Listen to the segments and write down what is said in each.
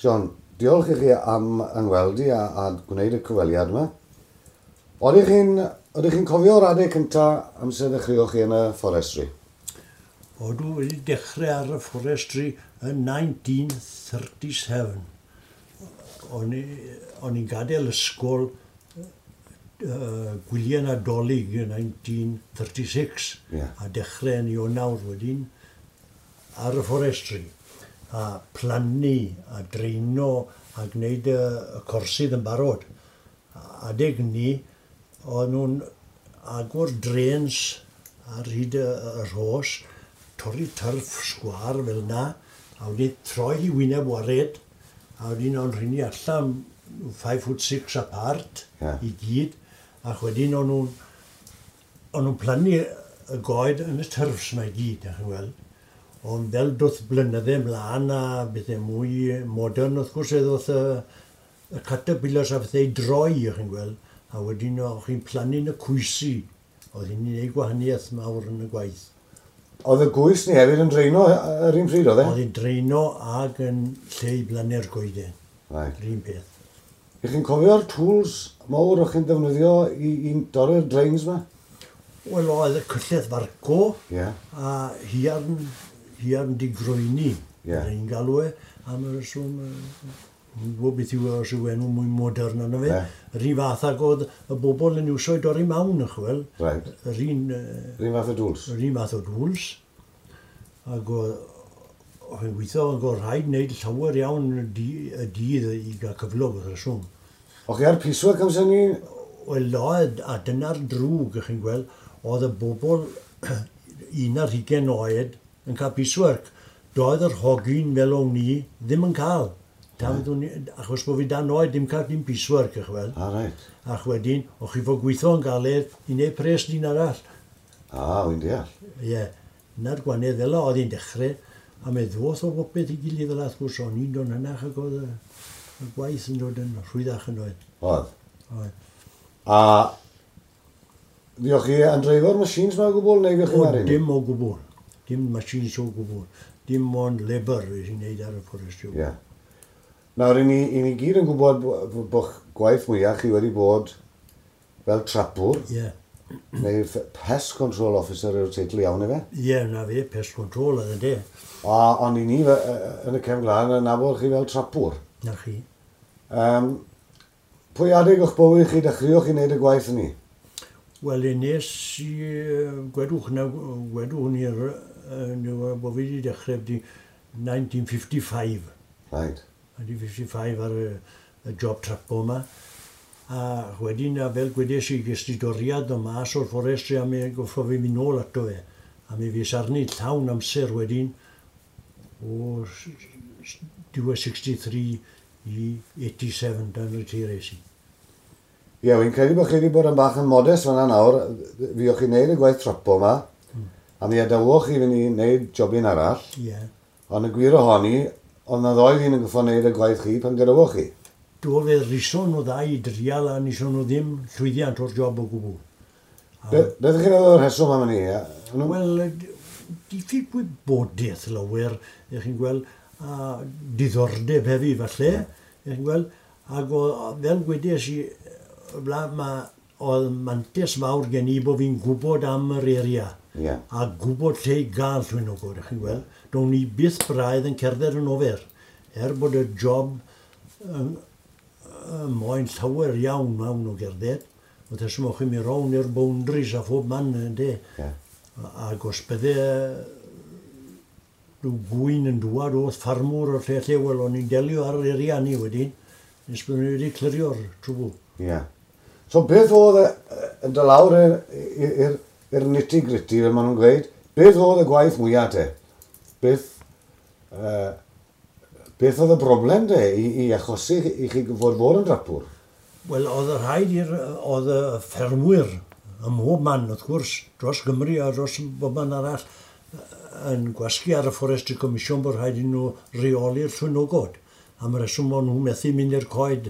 John, diolch i chi am yngweld i a gwneud y cyfweliad yma. Oeddech chi'n cofio'r adeg cynta amser ddechreuoch chi yn y forestry? Odw, wedi dechrau ar y forestry yn 1937. O'n i'n gadael ysgol gwyliau Nadolig yn 1936 a dechrau yn Ionawr wedyn ar y forestry a plannu a dreino a gwneud y corsydd yn barod. Adeg ni, o'n nhw'n agor drains ar hyd y rhos, torri turf sgwâr fel 'na, a wedyn troi hi wyneb wared, a wedyn o'n rheini allan 5 foot 6 apart i gyd, ac wedyn o'n nhw'n plannu y goed yn y turfs 'ma i gyd, chi'n gweld. Ond fel doth blynydde mlaen a bethau mwy modern, wrth gwrs, ddoth y caterpillars a bethau i droi, chi'n gweld, a wedyn o'ch chi'n plannu'n y cwysi. Oedd hynny'n gwneud gwahaniaeth mawr yn y gwaith. Oedd y gwys ni hefyd yn dreino yr un pryd, oedd e? Oedd hi'n dreino ag yn lle i blannu'r goeden. Right. Yr un peth. Ych chi'n cofio'r tools mawr o'ch chi'n defnyddio i dorri'r drains 'ma? Wel, oedd y cyllell farco a hiarn digroeni. Ni'n galw e am y reswm, yn gwybod beth yw os yw enw mwy modern arno fe. Yr un fath ag oedd y bobl yn iwso i dorri mawn, chwel. Right. Yr un... Yr un fath o dŵls. Yr un fath o dŵls. Ac oedd yn gweithio yn gorfod rhaid wneud llawer iawn y dydd i gael cyflog wrth reswm. O'ch chi ar piecework amser 'ny? Wel, oedd, a dyna'r drwg, ych chi'n gweld, oedd y bobl 21 oed yn cael piecework. Doedd yr hogyn fel o'n i ddim yn cael. Achos bod fi dan oed, ddim cael dim piecework, ych weld. Ah, right. Ac wedyn, o'ch chi fod gweithio yn galed i wneud pres dyn arall. Ah, wy'n deall. Ie. Na'r gwahaniaeth fel oedd hi'n dechrau, a me ddoth o bopeth i gilydd fel wrth gwrs, o'n i'n dod yn hynach ac oedd y gwaith yn dod yn rhwyddach yn oedd. Oedd? Oedd. A fuoch chi yn dreifo'r machines 'ma o gwbl, neu fuoch chi'n O, dim o gwbl. Dim machines o gwbl. Dim ond labour fues i'n neud ar y forestry. Ie. Nawr, i ni gyd yn gwybod bo'ch gwaith mwyaf chi wedi bod fel trapwr. Ie. Neu pest control officer yw'r teitl iawn, ife? Ie, na fe, pest control oedd e. A ond i ni yn y cefn gwlad yn nabod chi fel trapwr. Na chi. Pwy adeg o'ch bywyd chi dechreuoch chi wneud y gwaith ni? Wel, nes i, gwedwch ni'r, bod fi wedi dechrau 1955. Right. 1955 ar y job trapo yma. A wedyn, a fel gwedes i, ges i doriad o mas o'r forestry a mi goffo fi mynd nôl ato fe. A mi fues arni llawn amser wedyn o diwedd 63 i 87 dan retires i. Ie, wy'n credu bod chi wedi bod yn bach yn modest fan'na nawr. Fuoch chi'n neud y gwaith trapo yma, a mi adawoch chi fynd i wneud jobyn arall. Ie. Ond y gwir ohoni, ond na ddoi ddyn yn goffo wneud y gwaith chi pan gadawoch chi. Do, fe rison nhw ddau i drial a nison nhw ddim llwyddiant o'r job o gwbl. Beth ych chi'n meddwl o'r rheswm am hynny? Wel, diffyg gwybodaeth lawer, ych chi'n gweld, a diddordeb hefyd falle, ych chi'n gweld, ac fel gwedes i, oedd mantais mawr gen i bod fi'n gwybod am yr area. A gwybod lle i gael llwynogod, ych chi'n gweld. Do'n i byth braidd yn cerdded yn ofer, er bod y job moyn llawer iawn mewn o gerdded. Oedd esmwch chi'n mynd rownd i'r boundaries a phob man, ynde. Ac os bydde rhyw gwyn yn dŵad oedd ffarmwr o'r lle lle, wel, o'n i'n delio ar yr area ni wedyn, nes byddwn ni wedi clirio'r trwbl. Ie. So beth oedd yn dod lawr i'r nitty-gritty, fel maen nhw'n gweud, beth oedd y gwaith mwyaf te? Beth oedd y broblem te i achosi i chi fod yn drapwr? Wel, oedd y rhaid i'r, oedd y ffermwyr ym mhob man, wrth gwrs, dros Gymru a dros bob man arall, yn gwasgu ar y Forestry Commission bod rhaid i nhw reoli'r llwynogod. Am y reswm o'n nhw methu mynd i'r coed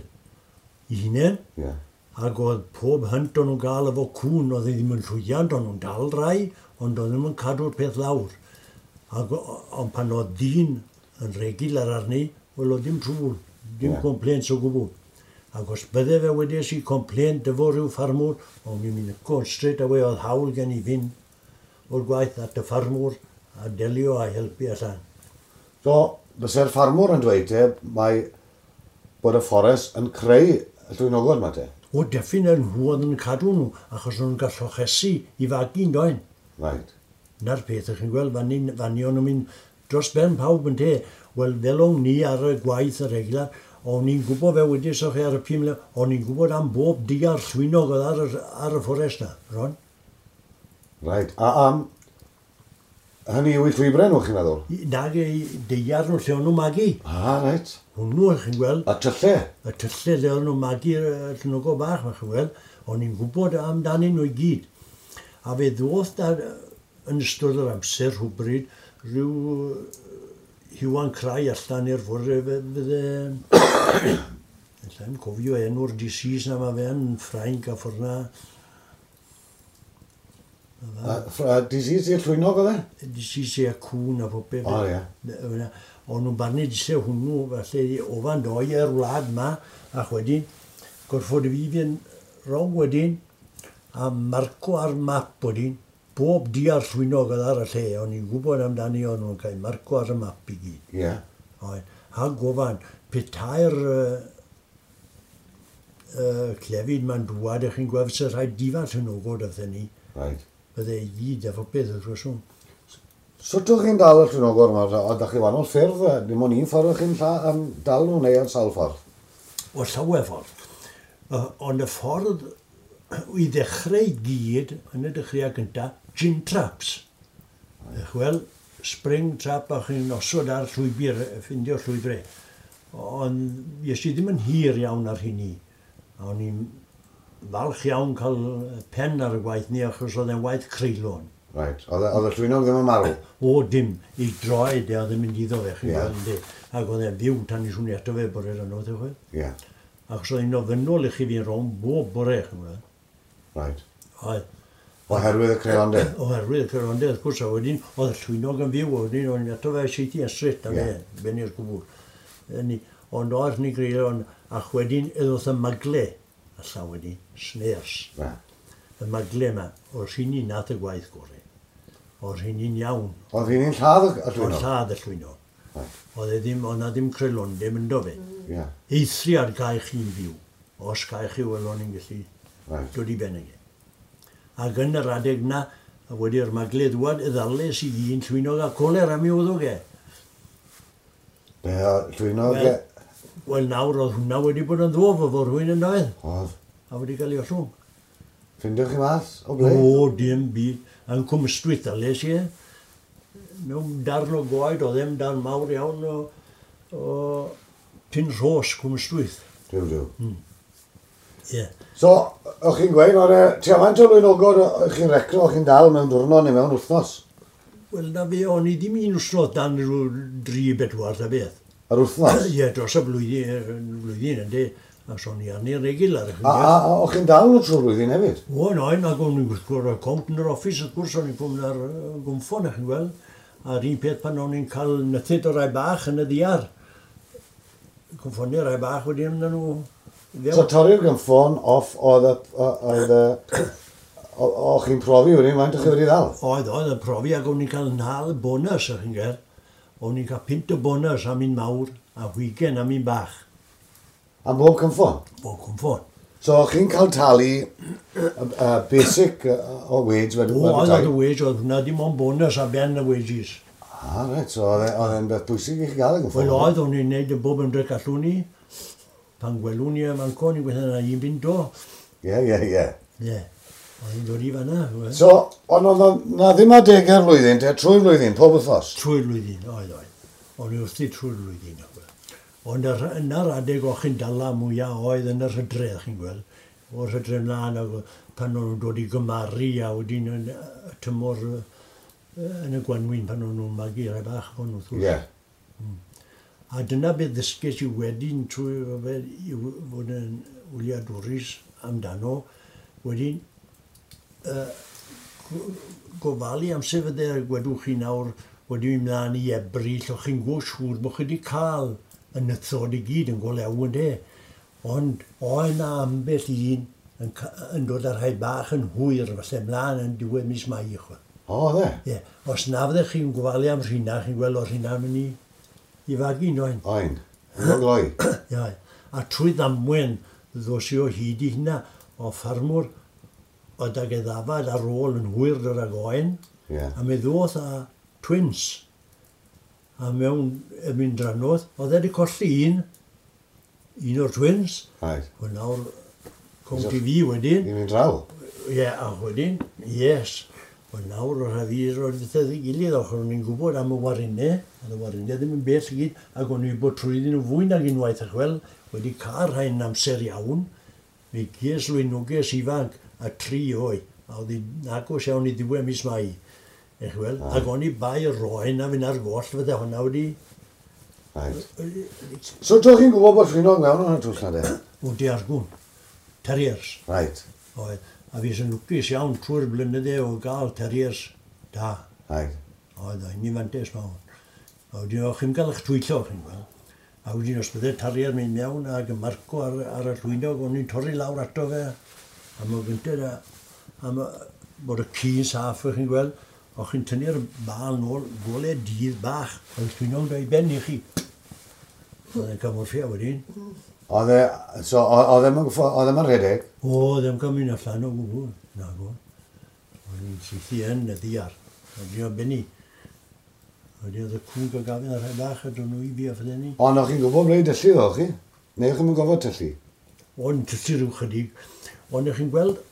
i hunain. Ac oedd pob hynt o'n nhw'n gael efo cŵn, oedd e ddim yn llwyddiant, o'n nhw'n dal rai, ond oedd ddim yn cadw'r peth lawr. Ond pan oedd dyn yn regular arni, Wel, oedd dim trwbl, dim complaints o gwbl. Ac os bydde fe wedes i complaint efo rhyw ffarmwr, o'n i'n mynd yn straight away, oedd hawl gen i fynd o'r gwaith at y ffarmwr a delio a helpu allan. So, byse'r ffarmwr yn dweud te, mae bod y fforest yn creu y llwynogod yma te? O, definitely, nhw oedd yn cadw nhw, achos nhw'n gallu llochesu i fagu yn doen. Right. Na'r peth, ych chi'n gweld, fan o'n nhw'n mynd dros ben pawb yn te. Wel, fel o'n ni ar y gwaith y regular, o'n i'n gwybod fe wedi soch chi ar y 5 mlynedd, o'n i'n gwybod am bob diar llwynog oedd ar y fforest na, Ron. Right. A hynny yw i llwybrau nhw, chi'n meddwl? Nag ei deiar nhw lle o'n nhw'n magu. Ah, reit. Hwnnw, chi'n gweld. A tyllau? Y tyllau lle o'n nhw'n magu'r llwynogo bach, chi'n gweld. O'n i'n gwybod amdanyn nhw i gyd. A fe ddoth da, yn ystod yr amser rhywbryd, rhyw Iwan Crai allan i'r fwrdd, fydde... Allai'm cofio enw'r disease na, mae fe yn Ffrainc a ffordd na. Disease i'r llwynog oedd e? Disease i'r cwn a popeth. O, ie. O'n nhw'n barnu dise hwnnw, felly ofan doi i'r wlad ma, ac wedyn, gorfod fi fynd rong wedyn, a marco ar map wedyn, bob diar llwynog oedd ar y lle, o'n i'n gwybod amdani o'n nhw'n cael marco ar y map i gyd. Ie. A gofan, petai'r clefyd ma'n dŵad, ych chi'n gweld sy'n rhaid difa llwynogod wrthyn ni. Right. Bydde i gyd efo beth wrth reswm. Sut o'ch chi'n dal y llwynogod yma? Oeddech chi wahanol ffyrdd? Dim ond un ffordd o'ch chi'n dal nhw neu ar sawl ffordd? O llawer ffordd. Ond y ffordd i ddechrau i gyd, yn y dechreuad gyntaf, gin traps. Wel, spring trap a chi'n osod ar llwybr, ffindio llwybrau. Ond nes i ddim yn hir iawn ar hynny. A o'n i'n falch iawn cael pen ar y gwaith ni, achos oedd e'n waith creulon. Right. Oedd y llwynog ddim yn marw? O, dim. I droed e oedd yn mynd iddo fe, chi'n gweld, yndi. Ac oedd e'n fyw tan i swnio ato fe bore yno, ti'n gweld? Ie. Achos oedd hi'n ofynnol i chi fi'n rownd bob bore, chi'n gweld. Right. Oedd. Oherwydd y creulondeb? Oherwydd y creulondeb, wrth gwrs, a wedyn oedd y llwynog yn fyw, wedyn o'n i'n ato fe seithi yn straight, a fe, ben i'r gwbl. Ond oedd ni greulon, ac wedyn oedd y magle, allan wedyn, snares. Y magle yma, o'r rheini nath y gwaith gorau. O'r rheini'n iawn. Oedd rheini'n lladd y llwynog? Oedd lladd y llwynog. Oedd e ddim, oedd na ddim creulondeb ynddo fe. Eithriad gael chi'n fyw. Os gael chi, wel o'n i'n gallu dod i ben ag e. Ac yn yr adeg na, wedi'r magle ddwad, y ddales i un llwynog a coler am i wddwg e. Be, llwynog e? Wel nawr, oedd hwnna wedi bod yn ddwof efo rhywun yn doedd. Oedd. A wedi cael ei ollwng. Ffindioch chi mas o ble? O, dim byd. Yn Cwm Ystwyth ddales i e. Mewn darn o goed, oedd e'n darn mawr iawn o Pin Rhos, Cwm Ystwyth. Duw, duw. Ie. So, o'ch chi'n gweud, oedd e, tua faint o lwynogod o'ch chi'n recno, o'ch chi'n dal mewn diwrnod neu mewn wythnos? Wel, na fe, o'n i ddim un wythnos dan rhyw 3-4 ta beth. Yr wythnos? Ie, dros y flwyddyn, yndi. A so o'n i arni'n regular. A o'ch chi'n dal nhw trwy'r flwyddyn hefyd? O, no, ac o'n i'n gwrdd cont yn yr office, wrth gwrs, o'n i'n cwmni ar gwmffon, chi'n gweld. A'r un peth pan o'n i'n cael nythyd o rai bach yn y ddiar. Cwmffoniau rai bach wedi mynd nhw. So torri'r gynffon off oedd o'ch chi'n profi wedyn, faint o'ch chi wedi ddal? Oedd, oedd yn profi ac o'n i'n cael nhal bonus, o'ch chi'n gael. O'n i'n cael pint o bonus am un mawr a 20 am un bach. Am bob cynffon? Bob cynffon. So o'ch chi'n cael talu basic o wage wedi? O, oedd y wage, oedd hwnna dim ond bonus a ben y wages. Ah, reit, so oedd e'n beth bwysig i chi gael y gynffon? Wel oedd, o'n i'n neud y bob ymdrech allwn ni. Pan gwelwn ni am anco, ni'n gweithio yna un bunt o. Ie, ie, ie. Ie, oedd hi'n dod i fan'na. So, ond oedd na ddim adegau'r flwyddyn, te, trwy'r flwyddyn, pob wythnos? Trwy'r flwyddyn, oedd, oedd. O'n i wrthi trwy'r flwyddyn. Ond yna'r adeg o'ch chi'n dala mwyaf oedd yn yr hydref, chi'n gweld. O'r hydref mlaen, ac pan o'n nhw'n dod i gymaru a wedyn yn y tymor yn y gwanwyn pan o'n nhw'n magu rai bach o'n nhw. Ie. A dyna beth ddysges i wedyn trwy i fod yn wyliadwrus amdano, wedyn gofalu am sefydlu, gwedwch chi nawr, wedi mynd mlaen i Ebrill, o'ch chi'n gwybod siŵr bod chi wedi cael y nythod i gyd yn golew yn de. Ond oedd na ambell un yn, yn dod â rhai bach yn hwyr, falle mlaen yn diwedd mis Mai. Chwa. O, dde? Ie. Os na fyddech chi'n gofalu am rhina, chi'n gweld o'r rhina mynd i fagu noen. Oen. Yn gloi. Ie. A trwy ddamwen ddos i o hyd i hynna o ffarmwr oedd ag e ddafad ar ôl yn hwyr dod ag oen. Yeah. A mi ddoth â twins. A mewn y mynd dranodd, oedd e wedi colli un, un o'r twins. Right. Wel nawr, cwnt i fi wedyn. I'n mynd draw? Ie, yeah, a wedyn, yes. Wel nawr, o'r rhaid fi roed fydd ei gilydd, ochr o'n i'n gwybod am y warinau, oedd y warinau ddim yn bell i gyd, ac o'n i'n bod trwyddyn nhw fwy nag unwaith, ac wel, wedi cael rhain amser iawn, mi ges lwynoges ifanc a 3 oed, a oedd hi'n agos iawn i ddiwedd mis Mai. Eich wel, ac o'n i bai roen a fynd ar goll, fydde hwnna wedi... Right. So, to chi'n gwybod bod llwynog mewn o'n y twll na de? O, diargwn. Terriers. Right. Oedd. A fi sy'n lwcus iawn trwy'r blynydde o gael terriers da. Right. Oedd, a ni fantes mawr. A wedyn, o'ch chi'n cael eich twyllo, chi'n gweld. A wedyn, os bydde terrier mynd mewn ac yn marco ar, ar y llwynog, o'n i'n torri lawr ato fe. A mae gyntaf, a, a ma, bod y ci'n saff, chi'n gweld, o'ch chi'n tynnu'r bal nôl, gole dydd bach, oedd llwynog da i ben i chi. Oedd e'n camorffia wedyn. Oedd e, so, oedd e'n rhedeg? O, oedd e'n cael mynd allan o gwbl. Na, go. O'n i'n sythu yn y ddiar. Oedd e'n benni. Oedd y cwn gael gafel ar rhai bach a dod nhw i fi a fydden ni. Ond o'ch chi'n gwybod ble i dyllu ddo, chi? Neu o'ch chi'n gofod tyllu? O'n tyllu rhyw chydig. Ond o'ch chi'n gweld,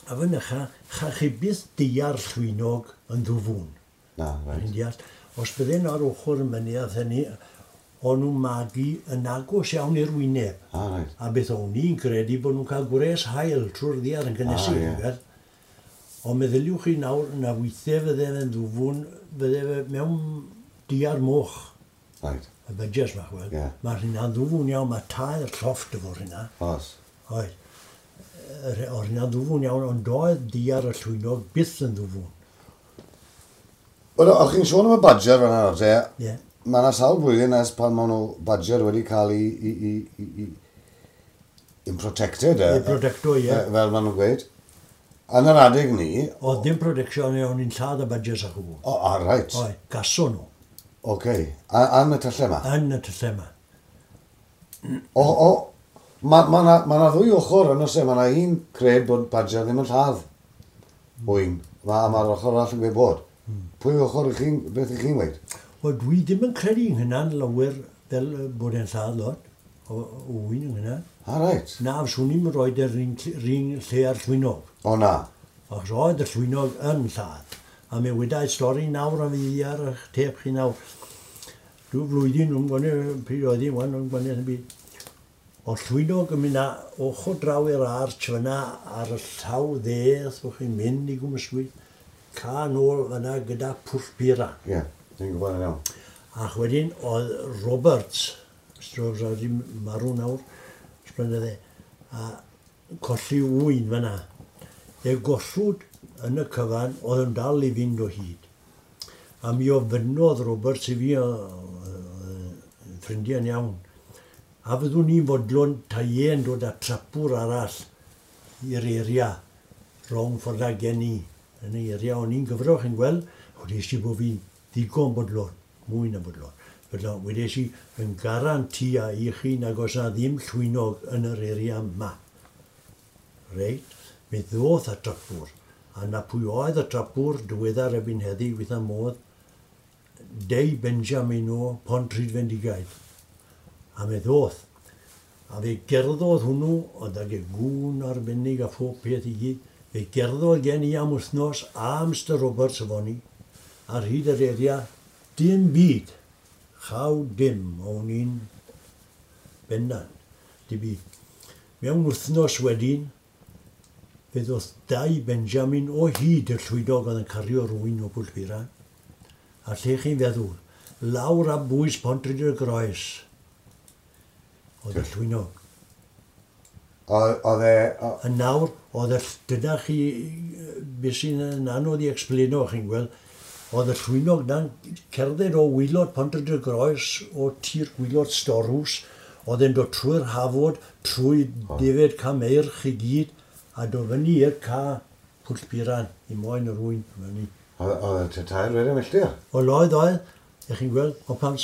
a fy nycha, cha chi byth diar llwynog yn ddwfwn. Na, reit. Chi'n deall? Os bydden ar ochr y mynydd hynny, o'n nhw'n magu yn agos iawn i'r wyneb. Ah, reit. A beth o'n i'n credu bod nhw'n cael gwres haul trwy'r ddiar yn gynnesu. Ah, ie. Ond meddyliwch chi nawr na weithiau fydde fe'n ddwfwn, fydde fe mewn diar moch. Right. Y badgers ma, wel. Yeah. Mae rhywna'n ddwfwn iawn, mae tair llofft efo rhywna. Os. Oedd. O rhywna'n ddwfwn iawn, ond doedd diar y llwynog byth yn ddwfwn. Wel, o'ch chi'n sôn am y badger fan'na nawr te? Ie. Mae yna sawl blwyddyn ers pan maen nhw badger wedi cael ei yn protected. Ei protecto, ie. Fel maen nhw'n gweud. Yn yr adeg ni... Oedd dim protection, o'n i'n lladd y badgers a chwbl. O, a reit. Oedd, gaso nhw. Oce. A yn y tyllau yma? Yn y tyllau yma. O, o, mae ma na, ma na ddwy ochr yn oes e. Mae na un cred bod badger ddim yn lladd. Wyn. Mae'r ma ochr arall yn gweud bod. Pwy ochr ych chi'n, beth ych chi'n gweud? Wel, dwi ddim yn credu yng hynna'n lawer fel bod e'n lladd lot o wyn yng hynna. A reit. Na, swn i'n rhoi yr un lle ar llwynog. O na. Achos oedd y llwynog yn lladd. A mi wydai stori nawr am fi ar eich tep chi nawr. Rhyw flwyddyn, nhw'n gwneud pryd oedd hi, wan, nhw'n gwneud yn byd. O llwynog yn mynd ochr draw i'r arch fyna ar y llaw dde, o'ch chi'n mynd i Gwmyswydd, ca nôl fyna gyda pwll pira. Ie, yeah, dwi'n gwybod yn iawn. Ac wedyn oedd Roberts, Mr Roberts oedd wedi marw nawr, ysblynydde, a colli wyn fyna. E gollwyd yn y cyfan, oedd yn dal i fynd o hyd. A mi ofynnodd Roberts i fi, ffrindiau'n iawn, a fyddwn ni'n fodlon taien dod â trapwr arall i'r area rhwng ffordd â gen i. Yn y area o'n i'n gyfro, chi'n gweld, wedes i bod fi'n ddigon bodlon, mwy na bodlon. Felly, wedes i yn garantia i chi nag oes na ddim llwynog yn yr area yma. Reit, mi ddoth y trapwr, a na pwy oedd y trapwr diweddar erbyn heddi, weitha modd, Dei Benjamin o Pontrhydfendigaid. A mi ddoth. A fe gerddodd hwnnw, oedd ag e gŵn arbennig a phob peth i gyd. Fe gerddodd gen i am wythnos a Mr Roberts efo ni, ar hyd yr area, dim byd, chaw dim, o'n i'n bendant, dim byd. Mewn wythnos wedyn, fe ddoth Dai Benjamin o hyd y llwydog oedd yn cario rhywun o Bwllpira. A lle chi'n feddwl, lawr am bwys Pontrhyd-y-groes, oedd y llwynog. Oedd e... A nawr, oedd y... Dyna chi, beth sy'n anodd i explaino, chi'n gweld, Oedd y llwynog na'n cerdded o waelod Pont-rhyd-y-groes, o tir gwaelod Storws, oedd e'n dod trwy'r hafod, trwy defed Cameirch i gyd, a dod fyny i'r ca Pwll Piran, i moyn yr ŵyn fyny. Oedd e 3 4 milltir? Wel oedd, oedd, ych chi'n gweld, ond pan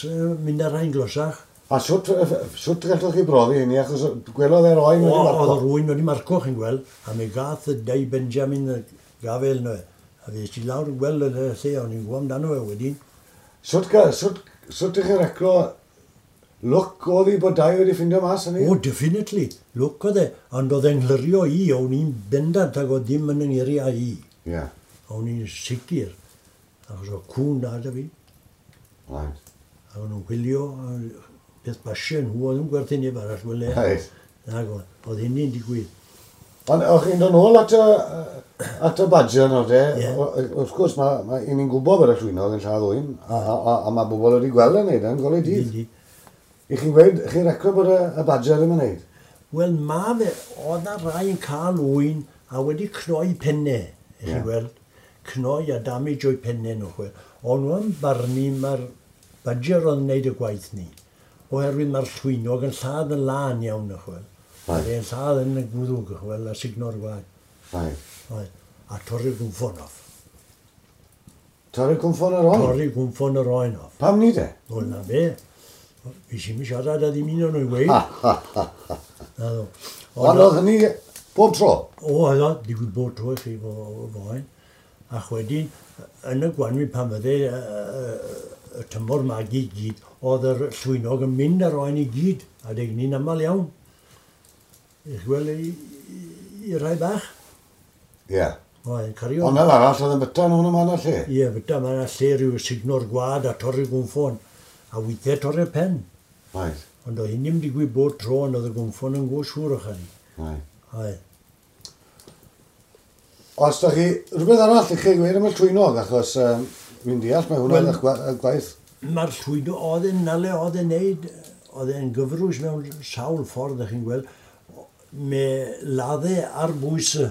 mynd ar rhain glosach. A shwt, shwt gallwch chi brofi hynny, achos gwelodd e'r oen wedi marco? Oedd yr ŵyn wedi marco, chi'n gweld, a mi gath y Dai Benjamin y gafel yno. A fe es i lawr i gweld y lle, o'n i'n gwybod amdano fe wedyn. Shwt, shwt, shwt ych chi'n reclo lwc oedd hi bod Dai wedi ffindio mas hynny? O, definitely. Lwc oedd e. Ond oedd e'n nglyrio i, o'n i'n bendant ag oedd ddim yn yng ngeiriau i. O'n i'n sicr. Achos oedd cŵn da 'da fi. A o'n nhw'n chwilio, beth basio nhw, oedd nhw'n gwerthu neb arall, wel e. Nag oedd, oedd hynny'n digwydd. Ond o'ch chi'n dod nôl at y badger nawr de, wrth gwrs, mae, ma, i ni'n gwybod bod y llwynog yn lladd ŵyn, a mae bobl wedi gweld yn neud yn golau dydd. I chi'n gweud, chi'n recro bod y badger ddim yn neud? Wel, ma fe, oedd na rai yn cael ŵyn a wedi cnoi pennau, i chi'n gweld. Cnoi a damage o'i pennau nhw, chwe. Ond nhw'n barnu mae'r badger oedd yn neud y gwaith ni. Oherwydd mae'r llwynog yn lladd yn lân iawn, y chwel. Oedd e'n lladd yn y gwddwg, y chwel, a sugno'r gwaed. Oedd. A torri'r gwmffon off. Torri'r gwmffon yr oen? Torri'r gwmffon yr oen off. Pam ni de? Wel, na fe. Fi sy'n mynd siarad â ddim un o'n nhw'n gweud. Na ddo. Ond oedd hynny bob tro? O, oedd o, digwydd bob tro i chi fo oen. A wedyn, yn y gwanwyn pan fydde y tymor magu i gyd, oedd yr llwynog yn mynd ar oen i gyd, a deg ni'n aml iawn. I'ch gweld i rai bach. Ie. Oedd, cario. Ond fel arall oedd yn byta nhw'n yma yn y lle? Ie, byta, mae'n lle rhyw sugno'r gwad a torri'r gwmffon. A weithiau torri'r pen. Ond oedd hynny'n digwydd bob tro, ond oedd y gwmffon yn go siŵr o'ch chi. Oedd. Os da chi rhywbeth arall i chi gweud am y llwynog, achos fi'n deall mae hwnna'n well, gwaith. Mae'r llwynog, oedd e'n nale, oedd e'n neud, oedd e'n gyfrwys mewn sawl ffordd, ych chi'n gweld. Me ladde ar bwys y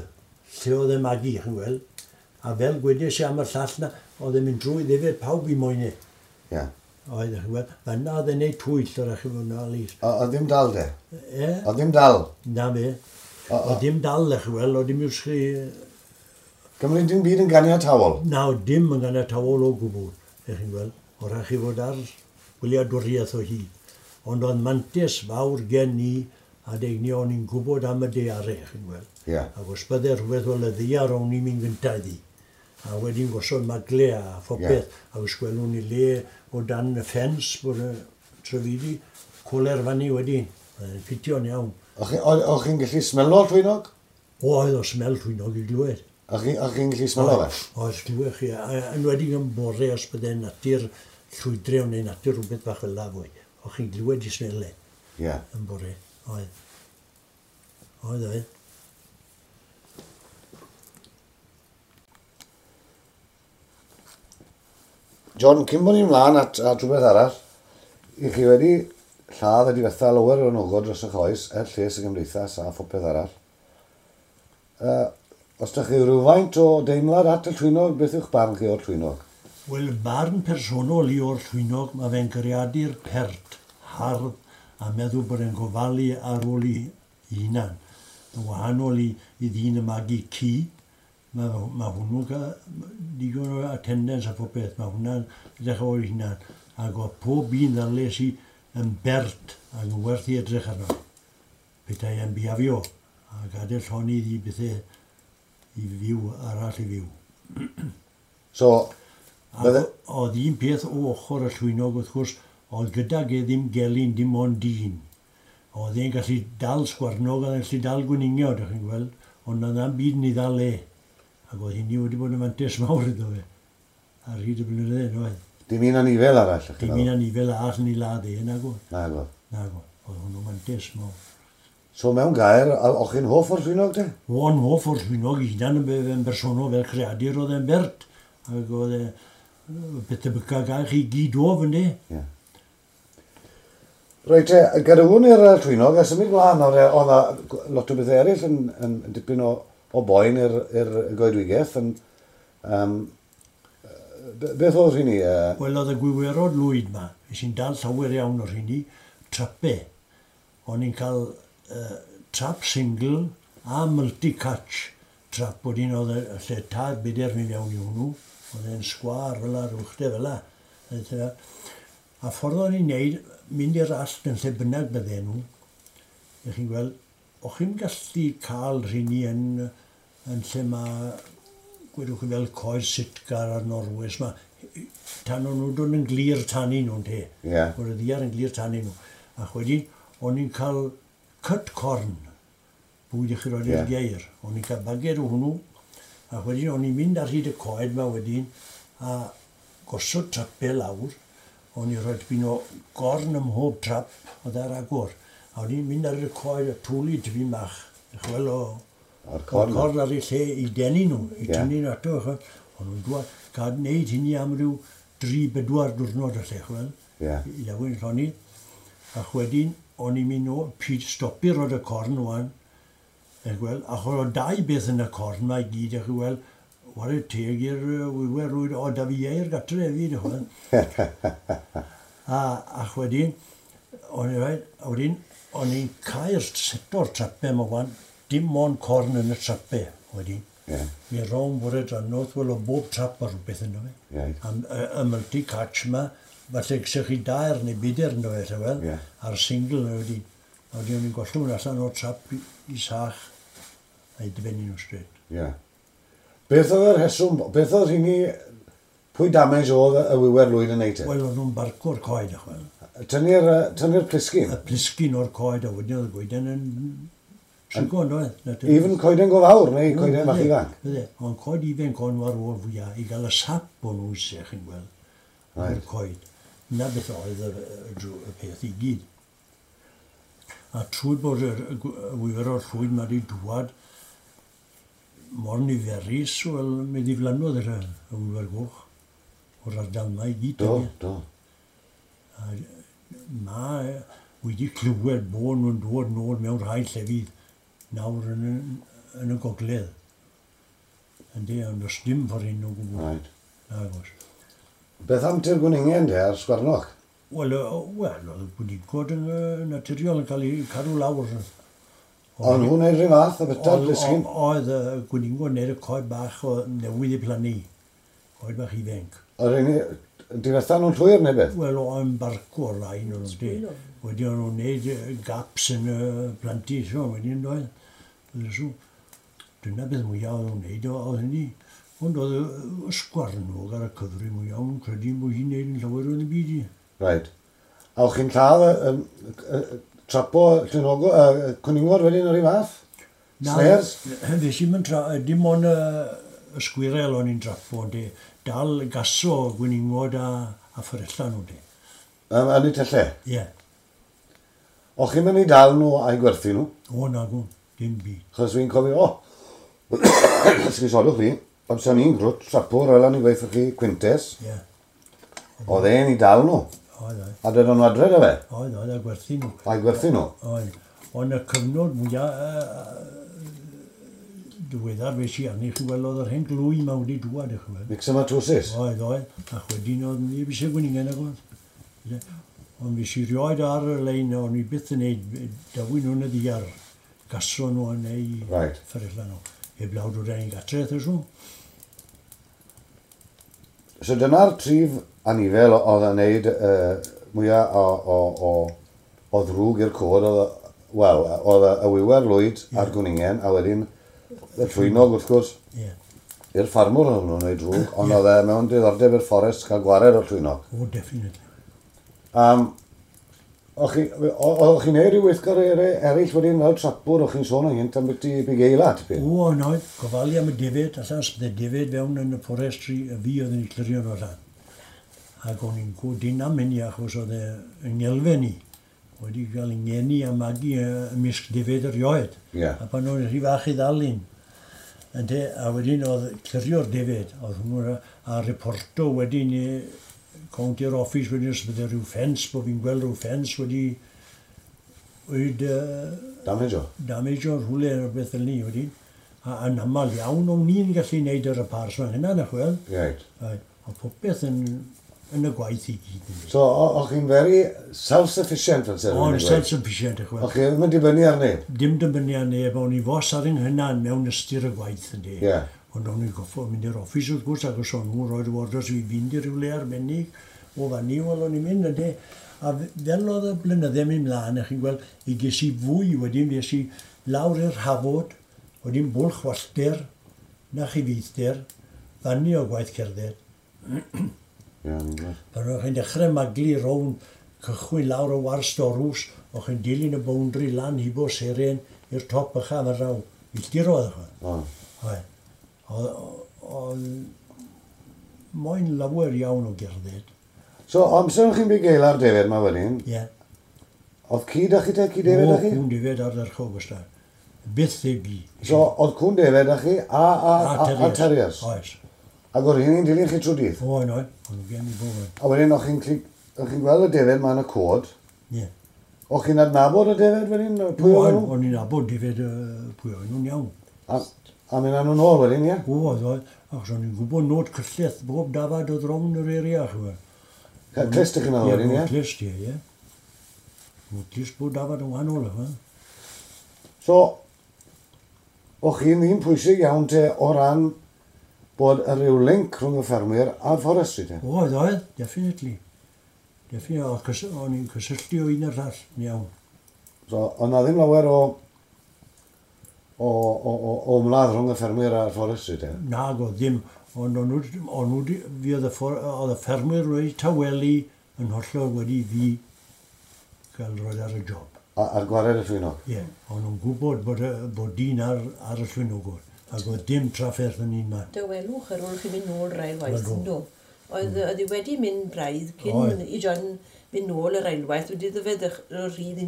lle oedd e'n magu, chi'n gweld. A fel gwedes i am y llall na, oedd e'n mynd drwy ddefed pawb i moynau. Oedd, chi'n gweld. Fanna oedd e'n neud twyll o'r chi fod yna, Lys. Oedd ddim dal de? E? Oedd ddim dal? Na fe. Oedd ddim dal, chi'n gweld, oedd dim iws chi. Gymryd dim byd yn ganiatawol? Na, dim yn ganiatawol o gwbl, ych chi'n gweld. O rhaid chi fod ar wyliadwriaeth o hyd. Ond oedd mantes fawr gen i, a deg ni o'n i'n gwybod am y daearau, chi'n gweld. Ac os bydde rhywbeth fel y ddiar, o'n i'n mynd gyntaf iddi. A wedyn gosod magle a phopeth. A os gwelwn ni le o dan y ffens bod y trefidi, coler fyny wedyn. Oedd e'n ffitio'n iawn. O'ch chi'n gallu smelo llwynog? O, oedd o smel llwynog i glywed. O'ch chi'n gallu smelo fe? Oedd, glywed chi. Enwedig yn bore os bydde natur llwydrew neu natur rhywbeth bach fel la fwy. O'ch chi'n glywed i smele. Yn bore. Oedd. Oedd, oedd. John, cyn bod ni'n mlaen at rhywbeth arall, i chi wedi lladd a difetha lawer o nogod dros eich oes, er lles y gymdeithas a phopeth arall. Os ydych chi rhywfaint o deimlad at y llwynog, beth yw'ch barn chi o'r llwynog? Wel, barn personol i o'r llwynog, mae fe'n greadur pert, hardd, a meddwl bod e'n gofalu ar ôl i hunan. Yn wahanol i ddyn y magu ci, mae hwnnw'n cael digon o attendance a phopeth, mae hwnna'n edrych o'r hunan. Ac oedd pob un ddales i yn bert ac yn werth i edrych arno. Petai e'n biafio a gadael llonydd i bethau i fyw arall i fyw. So, oedd un peth o ochr y llwynog wrth gwrs, oedd gydag e ddim gelyn, dim ond dyn. Oedd e'n gallu dal sgwarnog, oedd e'n gallu dal gwningiod, ydych chi'n gweld, ond oedd na'm byd yn ei ddal e. Ac oedd hynny wedi bod yn fantes mawr iddo fe, ar hyd y blynyddoedd, oedd. Dim un anifel arall, ych chi'n Dim un anifel arall yn ei ladd e, nag oedd. Nag oedd. Nag oedd. Oedd hwnnw mantes mawr. So mewn gair, o'ch chi'n hoff o'r llwynog te? O'n hoff o'r llwynog i hunan yn bersonol fel creadur oedd e'n bert. Ac oedd e beth tebyca gael chi gyd o fyny. Ie. Reit te, gadewwn i'r llwynog a symud mlaen, oedd 'na lot o bethau eraill yn dipyn o boen i'r goedwigaeth yn Beth oedd rheini? Wel, oedd y gwiwerod lwyd ma, es i'n dal llawer iawn o'r rheini, trape. O'n i'n cael trap single a multi-catch trap, wedyn oedd y lle tair bedair mynd iawn i hwnnw, oedd e'n sgwâr fel 'na, rwchte fel 'na. A ffordd o'n i'n neud, mynd i'r allt yn lle bynnag bydden nhw, ych chi'n gweld, o'ch chi'n gallu cael rheini yn lle mae, gwedwch chi fel coed sitgar a'r Norwes, ma, tan o'n nhw'n dod yn glir tanu nhw'n te. Yeah. Bod y ddiar yn glir tanu nhw. Ac wedyn, o'n i'n cael cut corn, bwyd i chi roed i'r geir. O'n i'n cael baged o hwnnw, ac wedyn o'n i'n mynd ar hyd y coed ma wedyn, a gosod trapau lawr, o'n i'n rhoi tipyn o gorn ym mhob trap oedd ar agor. A o'n i'n mynd ar y coed a twlu tipyn bach, chwel o corn ar ei lle i denu nhw, i tynnu nhw ato. O'n nhw'n dŵad, cael wneud hynny am ryw 3-4 diwrnod y lle, chwel, i lewyn llonydd. Ac wedyn, o'n i'n mynd o, pryd stopi roed y corn wan, gweld, ac oedd dau beth yn y corn ma i gyd, a chi weld, ware teg i'r wiwer rwyd, o, da fi eir gatre hefyd, chwel. Ac wedyn, o'n i'n cael seto'r trapau yma wan, dim ond corn yn y trapau wedyn. Mi rown bore drannoeth, wel o bob trap ar rhywbeth ynddo fe. Y multi-catch yma, falle gysech chi 2 neu 4 ynddo fe, wel, a'r single yna wedyn. A wedyn o'n i'n gollwng allan o'r trap i sach a'i dibynnu nhw straight. Beth oedd yr rheswm, beth oedd rheini, pwy damage oedd y wiwer lwyd yn neud e? Wel, oedd nhw'n barco'r coed, chwel. Tynnu'r plisgyn? Y plisgyn o'r coed, a wedyn oedd y goeden yn trigo, yn oedd? Even coeden go fawr, neu coeden fach ifanc? Bydde, ond coed ifanc o'n nhw ar ôl fwyaf, i gael y sap o'n nhw eisiau, chi'n gweld, o'r coed. Na beth oedd y peth i gyd. A trwy bod y wiwer o'r llwyd ma wedi dŵad mor niferus, wel, mi ddiflannodd y wiwer goch o'r ardal yma i gyd. Do, do. A ma wedi clywed bod nhw'n dod nôl mewn rhai llefydd nawr yn y gogledd. Yndi, ond does dim ffordd hyn o gwbl. Right. Nagos. Beth am ti'r gwningen te a'r sgwarnog? Wel, oedd y gwningod yn naturiol yn cael eu cadw lawr. O'n nhw'n neud rhyw fath o beta'r plisgyn? Oedd y gwningod yn neud y coed bach o newydd i plannu. Coed bach ifanc. Oedd rheini, difetha nhw'n llwyr neu beth? Wel, o'n barco o'r rhain o'n nhw. Wedyn o'n nhw'n neud gaps yn y plantu, so, wedyn doedd. Dyna beth mwyaf o'n nhw'n neud, oedd hynny. Ond oedd y sgwarnog ar y cyfri mwyaf, o'n credu bod hi'n neud yn llawer o'n y byd i. Right. A o'ch chi'n lladd trapo llwynogo, cwningod wedyn o'r un fath? Snares? Na, fes i'm yn dim ond y sgwirel o'n i'n trapo, ond dal gaso gwningod a fferella nhw de. Yn eu tyllau? Ie. O'ch chi'n mynd i dal nhw a'i gwerthu nhw? O, nagw, dim byd. Chos fi'n cofio, o, esgusodwch fi, amser ni'n grwt trapwr, fel o'n i'n gweithio chi Quintes. Ie. Oedd e'n i dal nhw. Oedd, oedd. A dod o'n adre da fe? Oedd, oedd, a gwerthu nhw. A'i gwerthu nhw? Oedd. Ond y cyfnod mwyaf diweddar fe si arni, chi weld, oedd yr hen glwy ma wedi dŵad, chi weld. Myxomatosis? Oedd, oedd. Ac wedyn oedd neb eisiau gwningen ag oedd. Ond fe si rioed ar y lein, o'n i byth yn neud, dawyn nhw'n y ddiar, gaso nhw neu fferylla nhw. Heblaw dod â'n gatre, ysw. So dyna'r trif anifel oedd yn neud mwyaf o ddrwg i'r cod, wel, oedd y wiwer lwyd a'r gwningen, a wedyn y llwynog wrth gwrs, i'r ffarmwr oedd nhw'n neud drwg, ond oedd e mewn diddordeb i'r fforest cael gwared o'r llwynog. O, definitely. O'ch chi'n neud rhyw weithgareddau eraill wedyn fel trapwr, o'ch chi'n sôn ynghynt am byti bugeila, tipyn? O, yn oedd, gofalu am y defed, allan, bydde defed fewn yn y forestry, y fi oedd yn ei clirio nhw allan. Ac o'n i'n gwdyn am hynny achos oedd yng ngelfen i, wedi cael ei ngeni a magu ymysg defed erioed. A pan o'n rhy fach i ddal un. A wedyn oedd clirio'r defed, oedd hwnnw a reporto wedyn i cownti'r office wedyn os bydde rhyw ffens, bod fi'n gweld rhyw ffens wedi damage o? Damage o rhywle neu beth fel ni wedyn. A yn aml iawn o'n i'n gallu neud yr repairs fan hynna, na chwel. Right. Oedd popeth yn, yn y gwaith i gyd. So, o'ch chi'n very self-sufficient fel sy'n O'n self-sufficient, eich O'ch chi ddim yn dibynnu ar neb? Dim dibynnu ar neb, o'n i fos ar yng nghynan mewn ystyr y gwaith yndi. Ie. Yeah. Ond o'n i'n goffo mynd i'r office wrth gwrs, ac os o'n nhw'n rhoi'r orders i fynd i rywle arbennig, o fan ni, wel o'n i'n mynd yndi. A fel oedd y blynydde mynd mlaen, chi'n gweld, i ges i fwy wedyn, fues i lawr i'r Hafod, wedyn Bwlch Wallter, na chi feithder, fanni o gwaith cerdded. Ie, ni'n gweld. Pan o'ch chi'n dechrau maglu rownd cychwyn lawr o War Storws, o'ch chi'n dilyn y boundary lan hibo Seren i'r top ycha fan raw. Milltiroedd o'ch. O. Oedd. Oedd moyn lawer iawn o gerdded. So, amser o'ch chi'n bugeil defaid ma wedyn, Ie. Yeah. oedd ci da chi te, ci defaid da chi? O, cwn defaid ardderchog wastad. Byth heb gi. So, oedd cwn defaid da chi a terriers? Oes. Ac oedd hynny'n dilyn chi trwy dydd? Oen, oen. O'n gen i bob un. A wedyn, o'ch chi'n o'ch chi'n gweld y defaid ma yn y cod? Ie. Yeah. O'ch chi'n adnabod y defaid wedyn? Pwy oedd nhw? O'n i'n nabod defaid pwy oedd nhw'n iawn. A mynd â nhw'n ôl wedyn, ie? Oedd, oedd. Achos o'n i'n gwybod nod cyllell bob dafad oedd rownd yr area, chi'n Clust ych chi'n meddwl wedyn, ie? Ie, clust, ie, ie. Nod clust bob dafad yn wahanol, chi'n So, o'ch chi'n ddyn pwysig iawn te o ran bod y rhyw link rhwng y ffermwyr a'r forestry te? Oedd, oedd, definitely. Definitely, o'n i'n cysylltu o un a'r llall, yn iawn. So, oedd na ddim lawer o ymladd rhwng y ffermwyr a'r forestry te? Nag oedd ddim, ond o'n nhw, fi oedd y ffermwyr wedi tawelu yn hollol wedi fi gael roed ar y job. A'r gwared y llwynog? Ie, o'n nhw'n gwybod bod dyn ar y llwynogod, ac oedd dim trafferth yn un man. Dawelwch ar ôl chi mynd nôl yr ail waith, do. Oedd hi wedi mynd braidd cyn i John mynd nôl yr ail waith, wedi iddo fe rhydd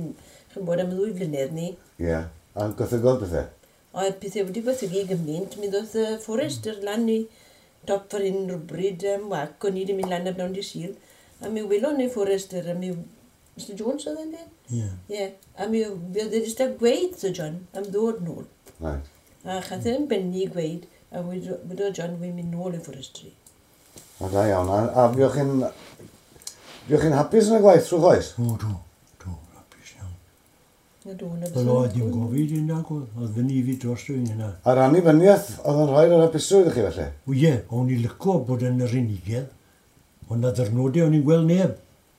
chi'n bod am 2 flynedd ni. Ie, a gwaethygodd pethau? Oedd pethau wedi gwaethygu gymaint, mi ddoth y fforester lan i top fawr hyn rhywbryd wac, o'n i wedi mynd lan ar bnawn dydd Sul, a mi welon ni fforester, a mi... Mr Jones oedd e'n dweud? Ie. Ie, a mi oedd e jyst a gweud Sir John am ddod nôl. Right. A chath e'n benni gweud, a wedodd John, wy'n mynd nôl i forestry. A da iawn, a fuoch chi'n hapus yn y gwaith trwy oes? O, do, do, hapus iawn. Na do, na Wel, oedd dim gofid yn nag oedd, oedd fyny i fi dros un hynna. A'r annibyniaeth oedd yn rhoi'r hapusrwydd i chi felly? O ie, o'n i licio bod yn yr unigedd, ond na ddyrnodau o'n i'n gweld neb.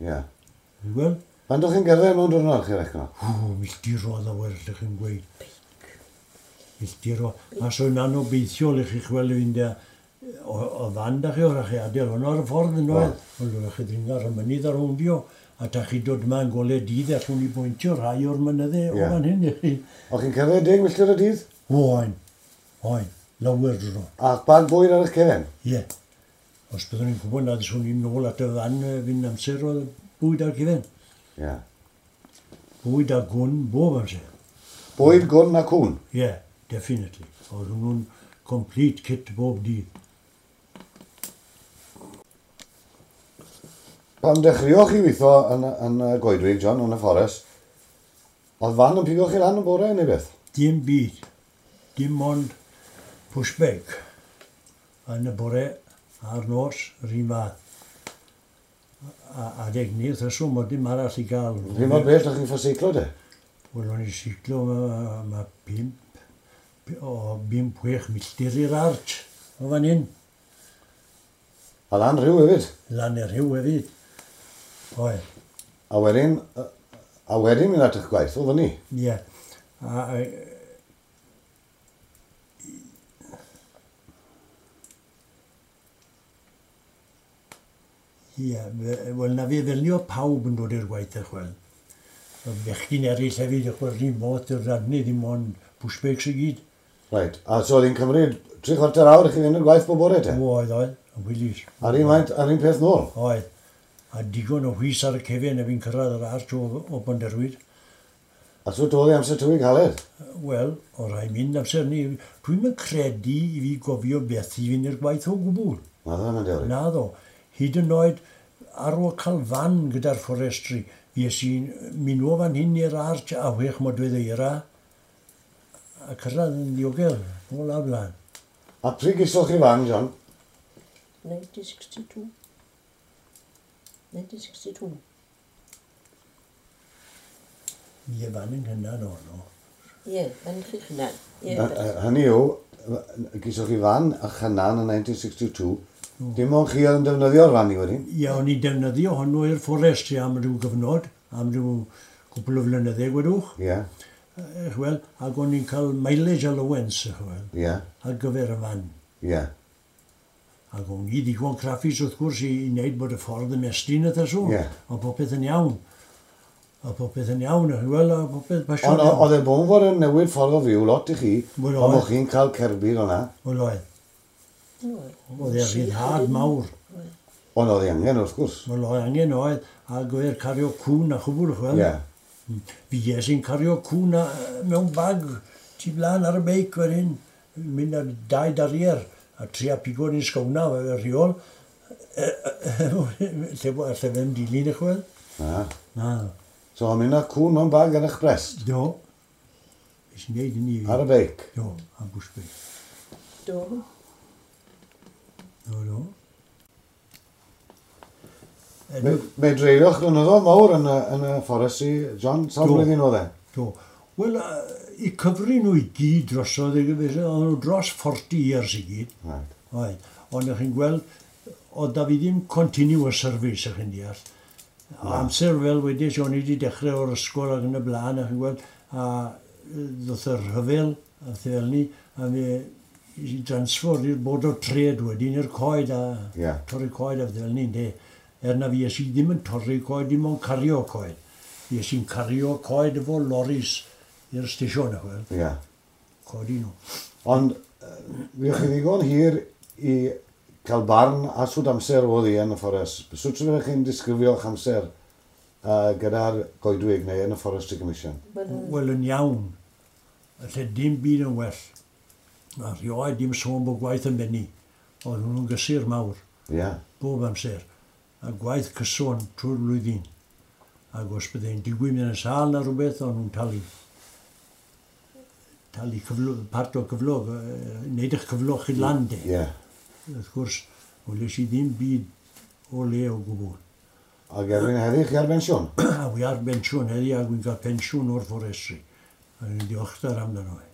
Ie. O'n i'n gweld? Faint o'ch chi'n gerdded mewn diwrnod chi recno? O, milltiroedd o werth ych chi'n gweud. Milltiroedd. A so yn anobeithiol i chi chwel i fynd o fan da chi, o'r chi adael hwnnw ar y ffordd yn oedd. Ond o'r chi ddringo ar y mynydd ar rowndio, a ta chi dod yma yn golau dydd allwn ni bwyntio rhai o'r mynyddau o fan hyn i chi. O'ch chi'n cerdded 10 milltir y dydd? O, oen. Oen. Lawer dro. A bag bwyd ar eich cefen? Ie. Os byddwn ni'n gwybod nad swn i'n nôl at y fan fynd amser oedd bwyd ar cefen. Ie. Bwyd a gwn bob amser. Bwyd, gwn a cwn? Ie, definitely. Oedd hwnnw'n complete kit bob dydd. Pan dechreuoch chi weithio yn y goedwig, John, yn y fforest, oedd fan yn pigo chi lan yn bore neu beth? Dim byd. Dim ond pushback. Yn y bore a'r nos, yr un fath. A adeg ni, wrth reswm, oedd dim arall i gael. Pryd mor bell o'ch chi'n ffo seiclo de? Wel, o'n i'n seiclo, mae 5-6 milltir i'r arch o fan hyn. A lan rhyw hefyd? Lan i'r rhyw hefyd. Oedd. A wedyn mynd at eich gwaith, oedd ni? Ie. Ie, wel na fi felnio pawb yn dod i'r gwaith eich wel. Oedd bechgyn eraill hefyd, eich wel, rhywun modd i'r radnu, ddim ond pushbacks i gyd. Reit, a so oedd hi'n cymryd 3/4 awr i chi fynd i'r gwaith bob bore te? Oedd, oedd, yn wylis. A'r un maint, a'r un peth nôl? Oedd, a digon o whis ar y cefen a fi'n cyrraedd yr arch o Bonderwyd. A so doedd i amser tywy caled? Wel, o rai mynd amser ni. Dwi'm yn credu i fi gofio beth i fynd i'r gwaith o gwbl. Na ddo, na dewri. Na ddo. Hyd yn oed ar ôl cael fan gyda'r forestry, fues i'n mynd o fan hyn i'r arch a 6 modfedd eira a cyrraedd yn ddiogel, nôl a blaen. A pryd gesoch chi fan, John? 1962. 1962. Ie, fan yn hynna no, no. Ie, fan chi chynan. Ie, Hynny yw, gysoch chi fan a chynan yn 1962, dim ond chi oedd yn defnyddio'r fan i wedyn? Ie, o'n i'n defnyddio hwnnw i'r fforestry am ryw gyfnod, am ryw cwpl o flynyddau, gwedwch. Ie. Wel, ac o'n i'n cael mileage allowance, wel, Ie. ar gyfer y fan. Ie. Ac o'n i ddigon craffus wrth gwrs i wneud bod y ffordd ymestyn y thasw. Ie. O popeth yn iawn. A popeth yn iawn, wel, a popeth pasio. Ond oedd e bod fod yn newid ffordd o fyw lot i chi, Wel, pan oedd. o'ch chi'n cael cerbyd o'na, Wel, oedd. Oedd. Oedd e rhyddhad mawr. ond oedd e angen wrth gwrs. Wel, oedd angen oedd, ac oedd e'r cario cwn a chwbl, chwel. Ie. Fi es i'n cario cwn a, mewn bag, tu blaen ar y beic wedyn, mynd ar dau darier, a tria pigo ni'n sgowna, fe rheol. Lle lle fe'n dilyn y chwel. Na. Na. So, o'n mynd â cwn mewn bag ar eich brest, Do. Nes i wneud hynny. ar y beic. Do, a bws beic. Do. Do, do. Me, me dreulioch flynyddoedd mawr yn y, yn y fforestry, John, sawl Do. blwyddyn oedd e? Do. Wel, i cyfri nhw i gyd drosodd, oedd nhw dros 40 years i gyd. Right. Oedd. Ond ych chi'n gweld, oedd da fi ddim continuous service, ych chi'n deall. Amser fel wedys, o'n i wedi dechrau o'r ysgol ac yn y blaen, ych chi'n gweld, a ddoth y rhyfel, a pethau fel ni, a mi i transfer i'r Board of Trade wedyn i'r coed a Ie. torri coed a pethau fel ni, ynde. Er na fi es i ddim yn torri coed, dim ond cario coed. Fi es i'n cario coed efo loris i'r station, ych chi'n gweld, Ie. codi nhw. Ond, fuoch chi ddigon hir i cael barn a sut amser oedd hi yn y fforest. Sut fyddech chi'n disgrifio'ch amser gyda'r goedwig neu yn y Forestry Commission? Wel, Wel, yn iawn. Lle dim byd yn well. A rioed dim sôn bod gwaith yn benni. Oedd hwnnw'n gysur mawr, Ie. bob amser. A gwaith cyson trwy'r flwyddyn. Ac os byddai'n digwydd mynd yn sâl na rhywbeth, o'n nhw'n talu. Talu cyflo, part o cyflog, wneud eich cyflog chi lan de. Ie. Wrth gwrs, weles i ddim byd o le o gwbl. Ac erbyn heddi chi ar bensiwn? A wi ar bensiwn heddi, ac wi'n cael pensiwn o'r fforestry. A dwi'n diolchgar amdano fe.